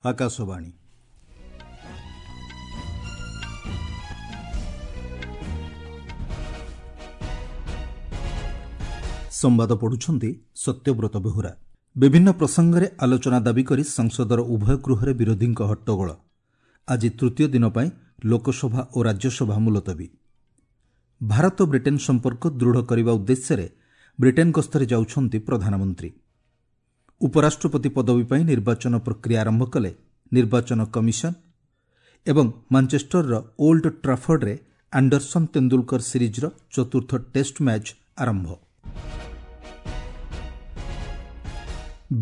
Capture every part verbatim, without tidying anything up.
ଆକାଶବାଣୀ। ସମ୍ବାଦ ପଢୁଛନ୍ତି ସତ୍ୟବ୍ରତ ବେହୁରା। ବିଭିନ୍ନ ପ୍ରସଙ୍ଗରେ ଆଲୋଚନା ଦାବି କରି ସଂସଦର ଉଭୟ ଗୃହରେ ବିରୋଧୀଙ୍କ ହଟ୍ଟଗୋଳ। ଆଜି ତୃତୀୟ ଦିନ ପାଇଁ ଲୋକସଭା ଓ ରାଜ୍ୟସଭା ମୁଲତବୀ। ଭାରତ ବ୍ରିଟେନ୍ ସମ୍ପର୍କ ଦୃଢ଼ କରିବା ଉଦ୍ଦେଶ୍ୟରେ ବ୍ରିଟେନ୍ ଗସ୍ତରେ ଯାଉଛନ୍ତି ପ୍ରଧାନମନ୍ତ୍ରୀ। ଉପରାଷ୍ଟ୍ରପତି ପଦବୀ ପାଇଁ ନିର୍ବାଚନ ପ୍ରକ୍ରିୟା ଆରମ୍ଭ କଲେ ନିର୍ବାଚନ କମିଶନ ଏବଂ ମାଞ୍ଚେଷ୍ଟରର ଓଲ୍ଡ ଟ୍ରାଫର୍ଡରେ ଆଣ୍ଡରସନ୍ ତେନ୍ଦୁଲକର ସିରିଜ୍ର ଚତୁର୍ଥ ଟେଷ୍ଟ ମ୍ୟାଚ୍ ଆରମ୍ଭ।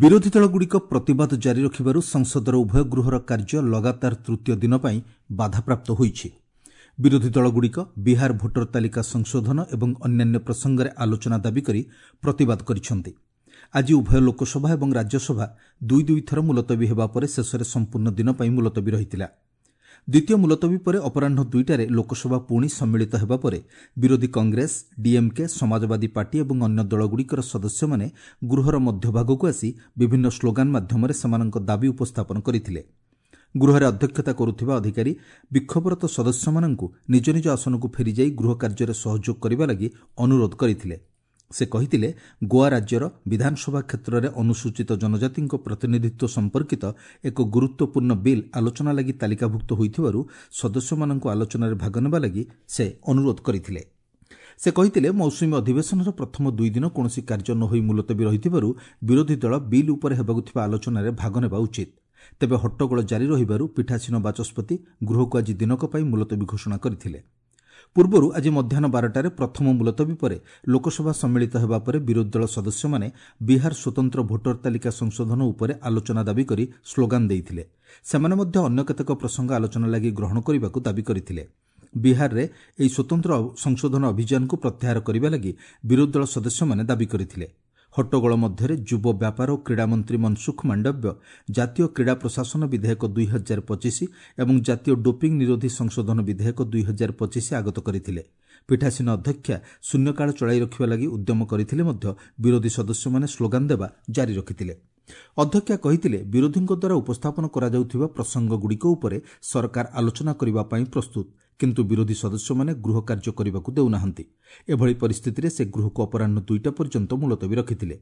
ବିରୋଧୀ ଦଳଗୁଡ଼ିକ ପ୍ରତିବାଦ ଜାରି ରଖିବାରୁ ସଂସଦର ଉଭୟ ଗୃହର କାର୍ଯ୍ୟ ଲଗାତାର ତୃତୀୟ ଦିନ ପାଇଁ ବାଧାପ୍ରାପ୍ତ ହୋଇଛି। ବିରୋଧୀ ଦଳଗୁଡ଼ିକ ବିହାର ଭୋଟର ତାଲିକା ସଂଶୋଧନ ଏବଂ ଅନ୍ୟାନ୍ୟ ପ୍ରସଙ୍ଗରେ ଆଲୋଚନା ଦାବି କରି ପ୍ରତିବାଦ କରିଛନ୍ତି। ଆଜି ଉଭୟ ଲୋକସଭା ଏବଂ ରାଜ୍ୟସଭା ଦୁଇ ଦୁଇ ଥର ମୁଲତବୀ ହେବା ପରେ ଶେଷରେ ସମ୍ପୂର୍ଣ୍ଣ ଦିନ ପାଇଁ ମୁଲତବୀ ରହିଥିଲା। ଦ୍ୱିତୀୟ ମୁଲତବୀ ପରେ ଅପରାହ୍ନ ଦୁଇଟାରେ ଲୋକସଭା ପୁଣି ସମ୍ମିଳିତ ହେବା ପରେ ବିରୋଧୀ କଂଗ୍ରେସ, ଡିଏମ୍କେ, ସମାଜବାଦୀ ପାର୍ଟି ଏବଂ ଅନ୍ୟ ଦଳଗୁଡ଼ିକର ସଦସ୍ୟମାନେ ଗୃହର ମଧ୍ୟଭାଗକୁ ଆସି ବିଭିନ୍ନ ସ୍ଲୋଗାନ ମାଧ୍ୟମରେ ସେମାନଙ୍କ ଦାବି ଉପସ୍ଥାପନ କରିଥିଲେ। ଗୃହରେ ଅଧ୍ୟକ୍ଷତା କରୁଥିବା ଅଧିକାରୀ ବିକ୍ଷୋଭରତ ସଦସ୍ୟମାନଙ୍କୁ ନିଜ ନିଜ ଆସନକୁ ଫେରିଯାଇ ଗୃହ କାର୍ଯ୍ୟରେ ସହଯୋଗ କରିବା ଲାଗି ଅନୁରୋଧ କରିଥିଲେ। ସେ କହିଥିଲେ, ଗୋଆ ରାଜ୍ୟର ବିଧାନସଭା କ୍ଷେତ୍ରରେ ଅନୁସୂଚିତ ଜନଜାତିଙ୍କ ପ୍ରତିନିଧିତ୍ୱ ସମ୍ପର୍କିତ ଏକ ଗୁରୁତ୍ୱପୂର୍ଣ୍ଣ ବିଲ୍ ଆଲୋଚନା ଲାଗି ତାଲିକାଭୁକ୍ତ ହୋଇଥିବାରୁ ସଦସ୍ୟମାନଙ୍କୁ ଆଲୋଚନାରେ ଭାଗ ନେବା ଲାଗି ସେ ଅନୁରୋଧ କରିଥିଲେ। ସେ କହିଥିଲେ, ମୌସୁମୀ ଅଧିବେଶନର ପ୍ରଥମ ଦୁଇ ଦିନ କୌଣସି କାର୍ଯ୍ୟ ନ ହୋଇ ମୁଲତବୀ ରହିଥିବାରୁ ବିରୋଧୀ ଦଳ ବିଲ୍ ଉପରେ ହେବାକୁ ଥିବା ଆଲୋଚନାରେ ଭାଗ ନେବା ଉଚିତ। ତେବେ ହଟ୍ଟଗୋଳ ଜାରି ରହିବାରୁ ପୀଠାସୀନ ବାଚସ୍ପତି ଗୃହକୁ ଆଜି ଦିନକ ପାଇଁ ମୁଲତବୀ ଘୋଷଣା କରିଥିଲେ। ପୂର୍ବରୁ ଆଜି ମଧ୍ୟାହ୍ନ ବାରଟାରେ ପ୍ରଥମ ମୁଲତବୀ ପରେ ଲୋକସଭା ସମ୍ମିଳିତ ହେବା ପରେ ବିରୋଧୀ ଦଳ ସଦସ୍ୟମାନେ ବିହାର ସ୍ୱତନ୍ତ୍ର ଭୋଟର ତାଲିକା ସଂଶୋଧନ ଉପରେ ଆଲୋଚନା ଦାବି କରି ସ୍ଲୋଗାନ ଦେଇଥିଲେ। ସେମାନେ ମଧ୍ୟ ଅନ୍ୟ କେତେକ ପ୍ରସଙ୍ଗ ଆଲୋଚନା ଲାଗି ଗ୍ରହଣ କରିବାକୁ ଦାବି କରିଥିଲେ। ବିହାରରେ ଏହି ସ୍ୱତନ୍ତ୍ର ସଂଶୋଧନ ଅଭିଯାନକୁ ପ୍ରତ୍ୟାହାର କରିବା ଲାଗି ବିରୋଧୀ ଦଳ ସଦସ୍ୟମାନେ ଦାବି କରିଥିଲେ। ହଟ୍ଟଗୋଳ ମଧ୍ୟରେ ଯୁବ ବ୍ୟାପାର ଓ କ୍ରୀଡ଼ାମନ୍ତ୍ରୀ ମନସୁଖ ମାଣ୍ଡବ୍ୟ ଜାତୀୟ କ୍ରୀଡ଼ା ପ୍ରଶାସନ ବିଧେୟକ ଦୁଇ ହଜାର ପଚିଶ ଏବଂ ଜାତୀୟ ଡୋପିଂ ନିରୋଧୀ ସଂଶୋଧନ ବିଧେୟକ ଦୁଇ ହଜାର ପଚିଶ ଆଗତ କରିଥିଲେ। ପୀଠାସୀନ ଅଧ୍ୟକ୍ଷା ଶୂନ୍ୟକାଳ ଚଳାଇ ରଖିବା ଲାଗି ଉଦ୍ୟମ କରିଥିଲେ ମଧ୍ୟ ବିରୋଧୀ ସଦସ୍ୟମାନେ ସ୍ଲୋଗାନ ଦେବା ଜାରି ରଖିଥିଲେ। ଅଧ୍ୟକ୍ଷା କହିଥିଲେ, ବିରୋଧୀଙ୍କ ଦ୍ୱାରା ଉପସ୍ଥାପନ କରାଯାଉଥିବା ପ୍ରସଙ୍ଗଗୁଡ଼ିକ ଉପରେ ସରକାର ଆଲୋଚନା କରିବା ପାଇଁ ପ୍ରସ୍ତୁତ, କିନ୍ତୁ ବିରୋଧୀ ସଦସ୍ୟମାନେ ଗୃହ କାର୍ଯ୍ୟ କରିବାକୁ ଦେଉନାହାନ୍ତି। ଏଭଳି ପରିସ୍ଥିତିରେ ସେ ଗୃହକୁ ଅପରାହ୍ନ ଦୁଇଟା ପର୍ଯ୍ୟନ୍ତ ମୁଲତବୀ ରଖିଥିଲେ।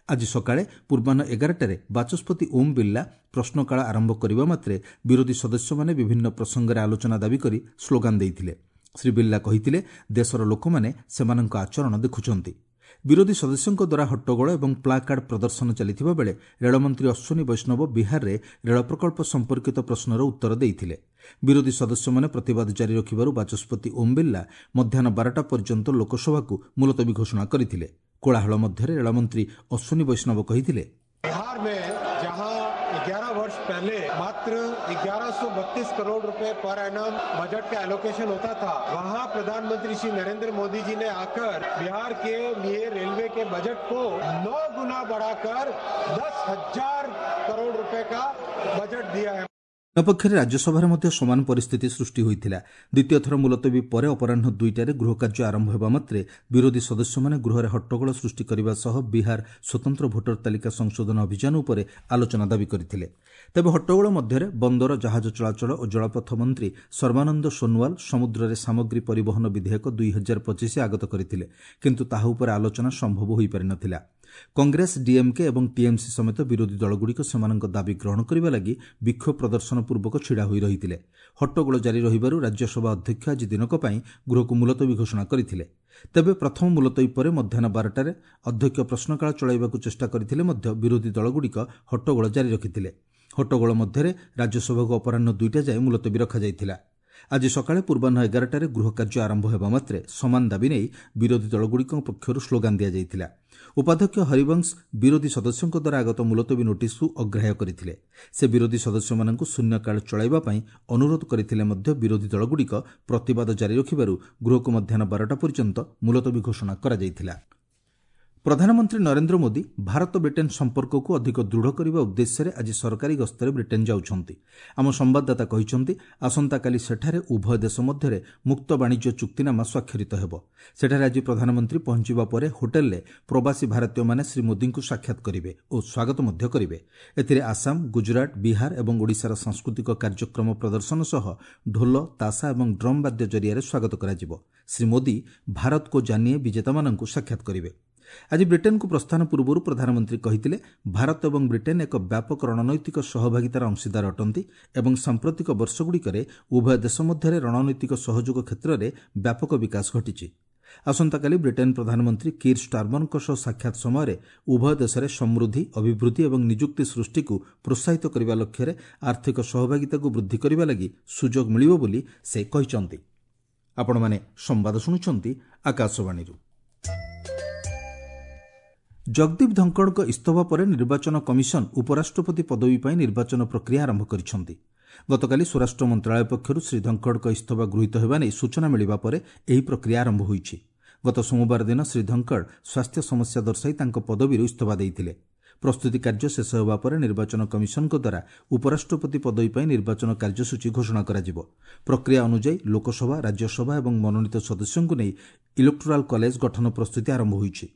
ଆଜି ସକାଳେ ପୂର୍ବାହ୍ନ ଏଗାରଟାରେ ବାଚସ୍ପତି ଓମ୍ ବିର୍ଲା ପ୍ରଶ୍ନକାଳ ଆରମ୍ଭ କରିବା ମାତ୍ରେ ବିରୋଧୀ ସଦସ୍ୟମାନେ ବିଭିନ୍ନ ପ୍ରସଙ୍ଗରେ ଆଲୋଚନା ଦାବି କରି ସ୍ଲୋଗାନ ଦେଇଥିଲେ। ଶ୍ରୀ ବିର୍ଲା କହିଥିଲେ, ଦେଶର ଲୋକମାନେ ସେମାନଙ୍କ ଆଚରଣ ଦେଖୁଛନ୍ତି। ବିରୋଧୀ ସଦସ୍ୟଙ୍କ ଦ୍ୱାରା ହଟ୍ଟଗୋଳ ଏବଂ ପ୍ଲାକାର୍ଡ ପ୍ରଦର୍ଶନ ଚାଲିଥିବା ବେଳେ ରେଳମନ୍ତ୍ରୀ ଅଶ୍ୱିନୀ ବୈଷ୍ଣବ ବିହାରରେ ରେଳ ପ୍ରକଳ୍ପ ସମ୍ପର୍କିତ ପ୍ରଶ୍ନର ଉତ୍ତର ଦେଇଥିଲେ। ବିରୋଧୀ ସଦସ୍ୟମାନେ ପ୍ରତିବାଦ ଜାରି ରଖିବାରୁ ବାଚସ୍ପତି ଓମ୍ ବିର୍ଲା ମଧ୍ୟାହ୍ନ ବାରଟା ପର୍ଯ୍ୟନ୍ତ ଲୋକସଭାକୁ ମୁଲତବୀ ଘୋଷଣା କରିଥିଲେ। କୋଳାହଳ ମଧ୍ୟରେ ରେଳମନ୍ତ୍ରୀ ଅଶ୍ୱିନୀ ବୈଷ୍ଣବ କହିଥିଲେ, ग्यारह वर्ष पहले मात्र ग्यारह सौ बत्तीस करोड़ रुपए पर एनम बजट का एलोकेशन होता था, वहां प्रधानमंत्री श्री नरेंद्र मोदी जी ने आकर बिहार के लिए रेलवे के बजट को नौ गुना बढ़ाकर दस हजार करोड़ रुपए का बजट दिया है। ଅନ୍ୟପକ୍ଷରେ ରାଜ୍ୟସଭାରେ ମଧ୍ୟ ସମାନ ପରିସ୍ଥିତି ସୃଷ୍ଟି ହୋଇଥିଲା। ଦ୍ୱିତୀୟ ଥର ମୁଲତବୀ ପରେ ଅପରାହ୍ନ ଦୁଇଟାରେ ଗୃହକାର୍ଯ୍ୟ ଆରମ୍ଭ ହେବା ମାତ୍ରେ ବିରୋଧୀ ସଦସ୍ୟମାନେ ଗୃହରେ ହଟ୍ଟଗୋଳ ସୃଷ୍ଟି କରିବା ସହ ବିହାର ସ୍ୱତନ୍ତ୍ର ଭୋଟର ତାଲିକା ସଂଶୋଧନ ଅଭିଯାନ ଉପରେ ଆଲୋଚନା ଦାବି କରିଥିଲେ। ତେବେ ହଟ୍ଟଗୋଳ ମଧ୍ୟରେ ବନ୍ଦର, ଜାହାଜ ଚଳାଚଳ ଓ ଜଳପଥ ମନ୍ତ୍ରୀ ସର୍ବାନନ୍ଦ ସୋନୱାଲ ସମୁଦ୍ରରେ ସାମଗ୍ରୀ ପରିବହନ ବିଧେୟକ ଦୁଇ ହଜାର ପଚିଶ ଆଗତ କରିଥିଲେ, କିନ୍ତୁ ତାହା ଉପରେ ଆଲୋଚନା ସମ୍ଭବ ହୋଇପାରିନଥିଲା। କଂଗ୍ରେସ, ଡିଏମ୍କେ ଏବଂ ଟିଏମ୍ସି ସମେତ ବିରୋଧୀ ଦଳଗୁଡ଼ିକ ସେମାନଙ୍କ ଦାବି ଗ୍ରହଣ କରିବା ଲାଗି ବିକ୍ଷୋଭ ପ୍ରଦର୍ଶନ ପୂର୍ବକ ଛିଡ଼ା ହୋଇ ରହିଥିଲେ। ହଟ୍ଟଗୋଳ ଜାରି ରହିବାରୁ ରାଜ୍ୟସଭା ଅଧ୍ୟକ୍ଷ ଆଜି ଦିନକ ପାଇଁ ଗୃହକୁ ମୁଲତବୀ ଘୋଷଣା କରିଥିଲେ। ତେବେ ପ୍ରଥମ ମୁଲତବୀ ପରେ ମଧ୍ୟାହ୍ନ ବାରଟାରେ ଅଧ୍ୟକ୍ଷ ପ୍ରଶ୍ନକାଳ ଚଳାଇବାକୁ ଚେଷ୍ଟା କରିଥିଲେ ମଧ୍ୟ ବିରୋଧୀ ଦଳଗୁଡ଼ିକ ହଟ୍ଟଗୋଳ ଜାରି ରଖିଥିଲେ। ହଟ୍ଟଗୋଳ ମଧ୍ୟରେ ରାଜ୍ୟସଭାକୁ ଅପରାହ୍ନ ଦୁଇଟା ଯାଏ ମୁଲତବୀ ରଖାଯାଇଥିଲା। ଆଜି ସକାଳେ ପୂର୍ବାହ୍ନ ଏଗାରଟାରେ ଗୃହ କାର୍ଯ୍ୟ ଆରମ୍ଭ ହେବା ମାତ୍ରେ ସମାନ ଦାବି ନେଇ ବିରୋଧୀ ଦଳଗୁଡ଼ିକ ପକ୍ଷରୁ ସ୍ଲୋଗାନ ଦିଆଯାଇଥିଲା। ଉପାଧ୍ୟକ୍ଷ ହରିବଂଶ ବିରୋଧୀ ସଦସ୍ୟଙ୍କ ଦ୍ୱାରା ଆଗତ ମୁଲତବୀ ନୋଟିସ୍କୁ ଅଗ୍ରାହ୍ୟ କରିଥିଲେ। ସେ ବିରୋଧୀ ସଦସ୍ୟମାନଙ୍କୁ ଶୂନ୍ୟକାଳ ଚଳାଇବା ପାଇଁ ଅନୁରୋଧ କରିଥିଲେ ମଧ୍ୟ ବିରୋଧୀ ଦଳଗୁଡ଼ିକ ପ୍ରତିବାଦ ଜାରି ରଖିବାରୁ ଗୃହକୁ ମଧ୍ୟାହ୍ନ ବାରଟା ପର୍ଯ୍ୟନ୍ତ ମୁଲତବୀ ଘୋଷଣା କରାଯାଇଥିଲା। ପ୍ରଧାନମନ୍ତ୍ରୀ ନରେନ୍ଦ୍ର ମୋଦି ଭାରତ ବ୍ରିଟେନ୍ ସମ୍ପର୍କକୁ ଅଧିକ ଦୃଢ଼ କରିବା ଉଦ୍ଦେଶ୍ୟରେ ଆଜି ସରକାରୀ ଗସ୍ତରେ ବ୍ରିଟେନ୍ ଯାଉଛନ୍ତି। ଆମ ସମ୍ବାଦଦାତା କହିଛନ୍ତି, ଆସନ୍ତାକାଲି ସେଠାରେ ଉଭୟ ଦେଶ ମଧ୍ୟରେ ମୁକ୍ତ ବାଣିଜ୍ୟ ଚୁକ୍ତିନାମା ସ୍ୱାକ୍ଷରିତ ହେବ। ସେଠାରେ ଆଜି ପ୍ରଧାନମନ୍ତ୍ରୀ ପହଞ୍ଚିବା ପରେ ହୋଟେଲରେ ପ୍ରବାସୀ ଭାରତୀୟମାନେ ଶ୍ରୀ ମୋଦିଙ୍କୁ ସାକ୍ଷାତ କରିବେ ଓ ସ୍ୱାଗତ ମଧ୍ୟ କରିବେ। ଏଥିରେ ଆସାମ, ଗୁଜରାଟ, ବିହାର ଏବଂ ଓଡ଼ିଶାର ସାଂସ୍କୃତିକ କାର୍ଯ୍ୟକ୍ରମ ପ୍ରଦର୍ଶନ ସହ ଢୋଲ, ତାସା ଏବଂ ଡ୍ରମ୍ ବାଦ୍ୟ ଜରିଆରେ ସ୍ୱାଗତ କରାଯିବ। ଶ୍ରୀ ମୋଦି ଭାରତ କୋ ଜାନିଏ ବିଜେତାମାନଙ୍କୁ ସାକ୍ଷାତ କରିବେ। ଆଜି ବ୍ରିଟେନ୍କୁ ପ୍ରସ୍ଥାନ ପୂର୍ବରୁ ପ୍ରଧାନମନ୍ତ୍ରୀ କହିଥିଲେ, ଭାରତ ଏବଂ ବ୍ରିଟେନ୍ ଏକ ବ୍ୟାପକ ରଣନୈତିକ ସହଭାଗିତାର ଅଂଶୀଦାର ଅଟନ୍ତି ଏବଂ ସାମ୍ପ୍ରତିକ ବର୍ଷଗୁଡ଼ିକରେ ଉଭୟ ଦେଶ ମଧ୍ୟରେ ରଣନୈତିକ ସହଯୋଗ କ୍ଷେତ୍ରରେ ବ୍ୟାପକ ବିକାଶ ଘଟିଛି। ଆସନ୍ତାକାଲି ବ୍ରିଟେନ୍ ପ୍ରଧାନମନ୍ତ୍ରୀ କିର୍ ଷ୍ଟାର୍ମରଙ୍କ ସହ ସାକ୍ଷାତ ସମୟରେ ଉଭୟ ଦେଶରେ ସମୃଦ୍ଧି, ଅଭିବୃଦ୍ଧି ଏବଂ ନିଯୁକ୍ତି ସୃଷ୍ଟିକୁ ପ୍ରୋତ୍ସାହିତ କରିବା ଲକ୍ଷ୍ୟରେ ଆର୍ଥିକ ସହଭାଗିତାକୁ ବୃଦ୍ଧି କରିବା ଲାଗି ସୁଯୋଗ ମିଳିବ ବୋଲି ସେ କହିଛନ୍ତି। ଆପଣମାନେ ସମ୍ବାଦ ଶୁଣୁଛନ୍ତି ଆକାଶବାଣୀରୁ। ଜଗଦୀପ ଧଙ୍କଡ଼ଙ୍କ ଇସ୍ତଫା ପରେ ନିର୍ବାଚନ କମିଶନ ଉପରାଷ୍ଟ୍ରପତି ପଦବୀ ପାଇଁ ନିର୍ବାଚନ ପ୍ରକ୍ରିୟା ଆରମ୍ଭ କରିଛନ୍ତି। ଗତକାଲି ସ୍ୱରାଷ୍ଟ୍ର ମନ୍ତ୍ରଣାଳୟ ପକ୍ଷରୁ ଶ୍ରୀ ଧଙ୍କଡ଼ଙ୍କ ଇସ୍ତଫା ଗୃହୀତ ହେବା ନେଇ ସୂଚନା ମିଳିବା ପରେ ଏହି ପ୍ରକ୍ରିୟା ଆରମ୍ଭ ହୋଇଛି। ଗତ ସୋମବାର ଦିନ ଶ୍ରୀ ଧଙ୍କଡ଼ ସ୍ୱାସ୍ଥ୍ୟ ସମସ୍ୟା ଦର୍ଶାଇ ତାଙ୍କ ପଦବୀରୁ ଇସ୍ତଫା ଦେଇଥିଲେ। ପ୍ରସ୍ତୁତି କାର୍ଯ୍ୟ ଶେଷ ହେବା ପରେ ନିର୍ବାଚନ କମିଶନଙ୍କ ଦ୍ୱାରା ଉପରାଷ୍ଟ୍ରପତି ପଦବୀ ପାଇଁ ନିର୍ବାଚନ କାର୍ଯ୍ୟସୂଚୀ ଘୋଷଣା କରାଯିବ। ପ୍ରକ୍ରିୟା ଅନୁଯାୟୀ ଲୋକସଭା, ରାଜ୍ୟସଭା ଏବଂ ମନୋନୀତ ସଦସ୍ୟଙ୍କୁ ନେଇ ଇଲେକ୍ଟୋରାଲ କଲେଜ ଗଠନ ପ୍ରସ୍ତୁତି ଆରମ୍ଭ ହୋଇଛି।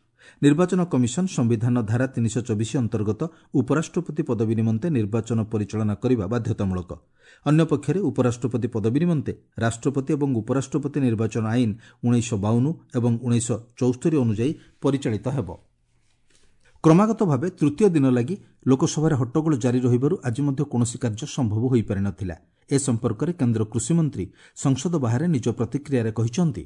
ନିର୍ବାଚନ କମିଶନ ସମ୍ବିଧାନ ଧାରା ତିନିଶହ ଚବିଶ ଅନ୍ତର୍ଗତ ଉପରାଷ୍ଟ୍ରପତି ପଦବୀ ନିମନ୍ତେ ନିର୍ବାଚନ ପରିଚାଳନା କରିବା ବାଧ୍ୟତାମୂଳକ। ଅନ୍ୟପକ୍ଷରେ ଉପରାଷ୍ଟ୍ରପତି ପଦବୀ ନିମନ୍ତେ ରାଷ୍ଟ୍ରପତି ଏବଂ ଉପରାଷ୍ଟ୍ରପତି ନିର୍ବାଚନ ଆଇନ ଉଣେଇଶହ ବାଉନ ଏବଂ ଉଣେଇଶହ ଚଉସ୍ତରୀ ଅନୁଯାୟୀ ପରିଚାଳିତ ହେବ। କ୍ରମାଗତ ଭାବେ ତୃତୀୟ ଦିନ ଲାଗି ଲୋକସଭାରେ ହଟ୍ଟଗୋଳ ଜାରି ରହିବାରୁ ଆଜି ମଧ୍ୟ କୌଣସି କାର୍ଯ୍ୟ ସମ୍ଭବ ହୋଇପାରିନଥିଲା। ଏ ସମ୍ପର୍କରେ କେନ୍ଦ୍ର କୃଷିମନ୍ତ୍ରୀ ସଂସଦ ବାହାରେ ନିଜ ପ୍ରତିକ୍ରିୟାରେ କହିଛନ୍ତି,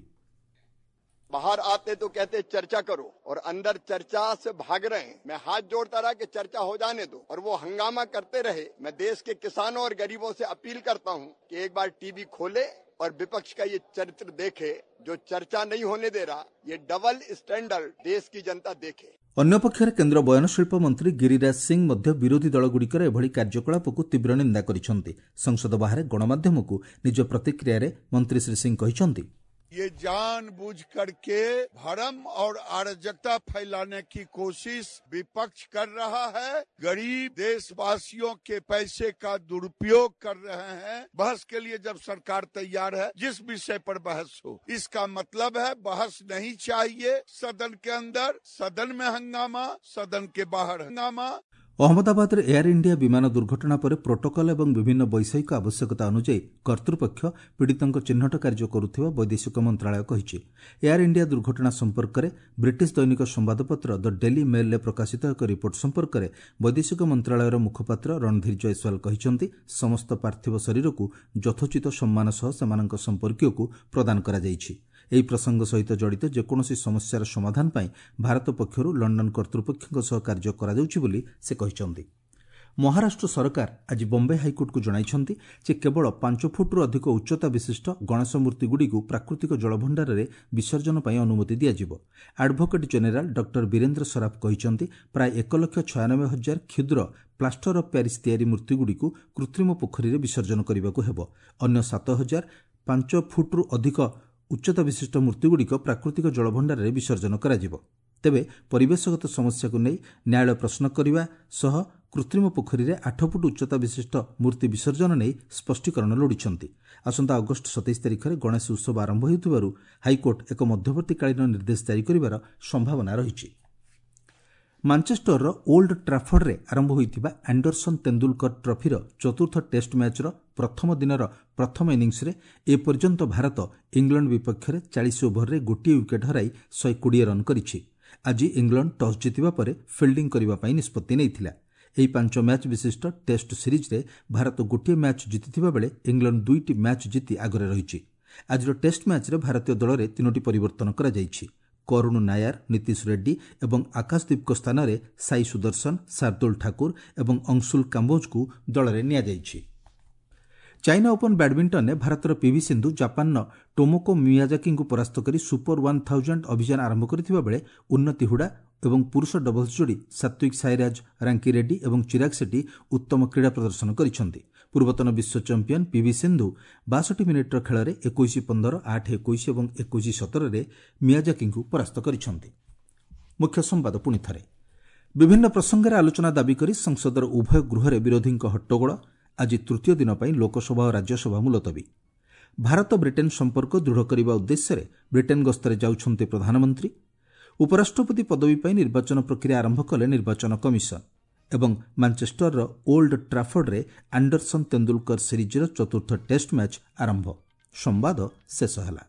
बाहर आते तो कहते चर्चा करो और अंदर चर्चा से भाग रहे हैं। मैं हाथ जोड़ता रहा कि चर्चा हो जाने दो और वो हंगामा करते रहे। मैं देश के किसानों और गरीबों से अपील करता हूं कि एक बार टीवी खोले और विपक्ष का ये चरित्र देखे जो चर्चा नहीं होने दे रहा। ये डबल स्टैंडर्ड देश की जनता देखे। ଅନ୍ୟପକ୍ଷରେ କେନ୍ଦ୍ର ବୟନଶିଳ୍ପ ମନ୍ତ୍ରୀ ଗିରିରାଜ ସିଂ ମଧ୍ୟ ବିରୋଧୀ ଦଳଗୁଡ଼ିକର ଏଭଳି କାର୍ଯ୍ୟକଳାପକୁ ତୀବ୍ର ନିନ୍ଦା କରିଛନ୍ତି। ସଂସଦ ବାହାରେ ଗଣମାଧ୍ୟମକୁ ନିଜ ପ୍ରତିକ୍ରିୟାରେ ମନ୍ତ୍ରୀ ଶ୍ରୀ ସିଂ କହିଛନ୍ତି, ये जानबूझ करके भ्रम और अराजकता फैलाने की कोशिश विपक्ष कर रहा है। गरीब देशवासियों के पैसे का दुरुपयोग कर रहे हैं। बहस के लिए जब सरकार तैयार है, जिस विषय पर बहस हो, इसका मतलब है बहस नहीं चाहिए सदन के अंदर, सदन में हंगामा, सदन के बाहर हंगामा। ଅହମ୍ମଦାବାଦରେ ଏୟାର ଇଣ୍ଡିଆ ବିମାନ ଦୁର୍ଘଟଣା ପରେ ପ୍ରୋଟୋକଲ୍ ଏବଂ ବିଭିନ୍ନ ବୈଷୟିକ ଆବଶ୍ୟକତା ଅନୁଯାୟୀ କର୍ତ୍ତୃପକ୍ଷ ପୀଡ଼ିତଙ୍କ ଚିହ୍ନଟ କାର୍ଯ୍ୟ କରୁଥିବା ବୈଦେଶିକ ମନ୍ତ୍ରଣାଳୟ କହିଛି। ଏୟାର ଇଣ୍ଡିଆ ଦୁର୍ଘଟଣା ସମ୍ପର୍କରେ ବ୍ରିଟିଶ ଦୈନିକ ସମ୍ବାଦପତ୍ର ଦ ଡେଲି ମେଲ୍ରେ ପ୍ରକାଶିତ ଏକ ରିପୋର୍ଟ ସମ୍ପର୍କରେ ବୈଦେଶିକ ମନ୍ତ୍ରଣାଳୟର ମୁଖପାତ୍ର ରଣଧୀର ଜୟସ୍ୱାଲ କହିଛନ୍ତି, ସମସ୍ତ ପାର୍ଥିବ ଶରୀରକୁ ଯଥୋଚିତ ସମ୍ମାନ ସହ ସେମାନଙ୍କ ସମ୍ପର୍କୀୟକୁ ପ୍ରଦାନ କରାଯାଇଛି। ଏହି ପ୍ରସଙ୍ଗ ସହିତ ଜଡ଼ିତ ଯେକୌଣସି ସମସ୍ୟାର ସମାଧାନ ପାଇଁ ଭାରତ ପକ୍ଷରୁ ଲଣ୍ଡନ କର୍ତ୍ତୃପକ୍ଷଙ୍କ ସହ କାର୍ଯ୍ୟ କରାଯାଉଛି ବୋଲି ସେ କହିଛନ୍ତି। ମହାରାଷ୍ଟ୍ର ସରକାର ଆଜି ବମ୍ବେ ହାଇକୋର୍ଟକୁ ଜଣାଇଛନ୍ତି ଯେ କେବଳ ପାଞ୍ଚ ଫୁଟରୁ ଅଧିକ ଉଚ୍ଚତା ବିଶିଷ୍ଟ ଗଣେଶ ମୂର୍ତ୍ତିଗୁଡ଼ିକୁ ପ୍ରାକୃତିକ ଜଳଭଣ୍ଡାରରେ ବିସର୍ଜନ ପାଇଁ ଅନୁମତି ଦିଆଯିବ। Advocate general doctor Virendra Saraf କହିଛନ୍ତି, ପ୍ରାୟ ଏକ ଲକ୍ଷ ଛୟାନବେ ହଜାର କ୍ଷୁଦ୍ର ପ୍ଲାଷ୍ଟର ଅଫ୍ ପ୍ୟାରିସ୍ ତିଆରି ମୂର୍ତ୍ତିଗୁଡ଼ିକୁ କୃତ୍ରିମ ପୋଖରୀରେ ବିସର୍ଜନ କରିବାକୁ ହେବ। ଅନ୍ୟ ସାତ ହଜାର ପାଞ୍ଚ ଫୁଟରୁ ଅଧିକ ଉଚ୍ଚତା ବିଶିଷ୍ଟ ମୂର୍ତ୍ତିଗୁଡ଼ିକ ପ୍ରାକୃତିକ ଜଳଭଣ୍ଡାରରେ ବିସର୍ଜନ କରାଯିବ। ତେବେ ପରିବେଶଗତ ସମସ୍ୟାକୁ ନେଇ ନ୍ୟାୟାଳୟ ପ୍ରଶ୍ନ କରିବା ସହ କୃତ୍ରିମ ପୋଖରୀରେ ଆଠ ଫୁଟ ଉଚ୍ଚତା ବିଶିଷ୍ଟ ମୂର୍ତ୍ତି ବିସର୍ଜନ ନେଇ ସ୍ପଷ୍ଟୀକରଣ ଲୋଡ଼ିଛନ୍ତି। ଆସନ୍ତା ଅଗଷ୍ଟ ସତେଇଶ ତାରିଖରେ ଗଣେଶ ଉତ୍ସବ ଆରମ୍ଭ ହେଉଥିବାରୁ ହାଇକୋର୍ଟ ଏକ ମଧ୍ୟବର୍ତ୍ତୀକାଳୀନ ନିର୍ଦ୍ଦେଶ ଜାରି କରିବାର ସମ୍ଭାବନା ରହିଛି। ମାଞ୍ଚେଷ୍ଟରର ଓଲ୍ଡ ଟ୍ରାଫର୍ଡରେ ଆରମ୍ଭ ହୋଇଥିବା ଆଣ୍ଡରସନ୍ ତେନ୍ଦୁଲକର ଟ୍ରଫିର ଚତୁର୍ଥ ଟେଷ୍ଟ ମ୍ୟାଚ୍ର ପ୍ରଥମ ଦିନର ପ୍ରଥମ ଇନିଂସରେ ଏପର୍ଯ୍ୟନ୍ତ ଭାରତ ଇଂଲଣ୍ଡ ବିପକ୍ଷରେ ଚାଳିଶ ଓଭରରେ ଗୋଟିଏ ୱିକେଟ୍ ହରାଇ ଶହେ କୋଡ଼ିଏ ରନ୍ କରିଛି। ଆଜି ଇଂଲଣ୍ଡ ଟସ୍ ଜିତିବା ପରେ ଫିଲ୍ଡିଂ କରିବା ପାଇଁ ନିଷ୍ପତ୍ତି ନେଇଥିଲା। ଏହି ପାଞ୍ଚ ମ୍ୟାଚ୍ ବିଶିଷ୍ଟ ଟେଷ୍ଟ ସିରିଜ୍ରେ ଭାରତ ଗୋଟିଏ ମ୍ୟାଚ୍ ଜିତିଥିବା ବେଳେ ଇଂଲଣ୍ଡ ଦୁଇଟି ମ୍ୟାଚ୍ ଜିତି ଆଗରେ ରହିଛି। ଆଜିର ଟେଷ୍ଟ ମ୍ୟାଚ୍ରେ ଭାରତୀୟ ଦଳରେ ତିନୋଟି ପରିବର୍ତ୍ତନ କରାଯାଇଛି। କରୁଣ ନାୟାର, ନୀତିଶ ରେଡ୍ଡି ଏବଂ ଆକାଶଦୀପଙ୍କ ସ୍ଥାନରେ ସାଇ ସୁଦର୍ଶନ, ଶାର୍ଦ୍ଦୁଲ ଠାକୁର ଏବଂ ଅଂଶୁଲ କାମ୍ବୋଜଙ୍କୁ ଦଳରେ ନିଆଯାଇଛି। ଚାଇନା ଓପନ୍ ବ୍ୟାଡ୍ମିଣ୍ଟନରେ ଭାରତର ପିଭି ସିନ୍ଧୁ ଜାପାନର ଟୋମୋକୋ ମିୟାଜାକିଙ୍କୁ ପରାସ୍ତ କରି ସୁପର ୱାନ୍ ଥାଉଜେଣ୍ଡ ଅଭିଯାନ ଆରମ୍ଭ କରିଥିବା ବେଳେ ଉନ୍ନତି ହୁଡା ଏବଂ ପୁରୁଷ ଡବଲ୍ସ ଯୋଡ଼ି ସାତ୍ୱିକ ସାଇରାଜ ରାଙ୍କି ରେଡ୍ଡି ଏବଂ ଚିରାଗ ସେଟ୍ଟି ଉତ୍ତମ କ୍ରୀଡ଼ା ପ୍ରଦର୍ଶନ କରିଛନ୍ତି। ପୂର୍ବତନ ବିଶ୍ୱ ଚାମ୍ପିୟନ୍ ପିଭି ସିନ୍ଧୁ ବାଷଠି ମିନିଟ୍ର ଖେଳରେ ଏକୋଇଶ ପନ୍ଦର, ଆଠ ଏକୋଇଶ ଏବଂ ଏକୋଇଶ ସତରରେ ମିୟାଜାକିଙ୍କୁ ପରାସ୍ତ କରିଛନ୍ତି। ମୁଖ୍ୟ ସମ୍ବାଦ ପୁଣି ଥରେ। ବିଭିନ୍ନ ପ୍ରସଙ୍ଗରେ ଆଲୋଚନା ଦାବି କରି ସଂସଦର ଉଭୟ ଗୃହରେ ବିରୋଧୀଙ୍କ ହଟ୍ଟଗୋଳ। ଆଜି ତୃତୀୟ ଦିନ ପାଇଁ ଲୋକସଭା ଓ ରାଜ୍ୟସଭା ମୁଲତବୀ। ଭାରତ ବ୍ରିଟେନ୍ ସମ୍ପର୍କ ଦୃଢ଼ କରିବା ଉଦ୍ଦେଶ୍ୟରେ ବ୍ରିଟେନ୍ ଗସ୍ତରେ ଯାଉଛନ୍ତି ପ୍ରଧାନମନ୍ତ୍ରୀ। ଉପରାଷ୍ଟ୍ରପତି ପଦବୀ ପାଇଁ ନିର୍ବାଚନ ପ୍ରକ୍ରିୟା ଆରମ୍ଭ କଲେ ନିର୍ବାଚନ କମିଶନ। ଏବଂ ମାଞ୍ଚେଷ୍ଟରର ଓଲ୍ଡ ଟ୍ରାଫର୍ଡରେ ଆଣ୍ଡରସନ୍ ତେନ୍ଦୁଲକର ସିରିଜ୍ର ଚତୁର୍ଥ ଟେଷ୍ଟ ମ୍ୟାଚ୍ ଆରମ୍ଭ। ସମ୍ବାଦ ଶେଷ ହେଲା।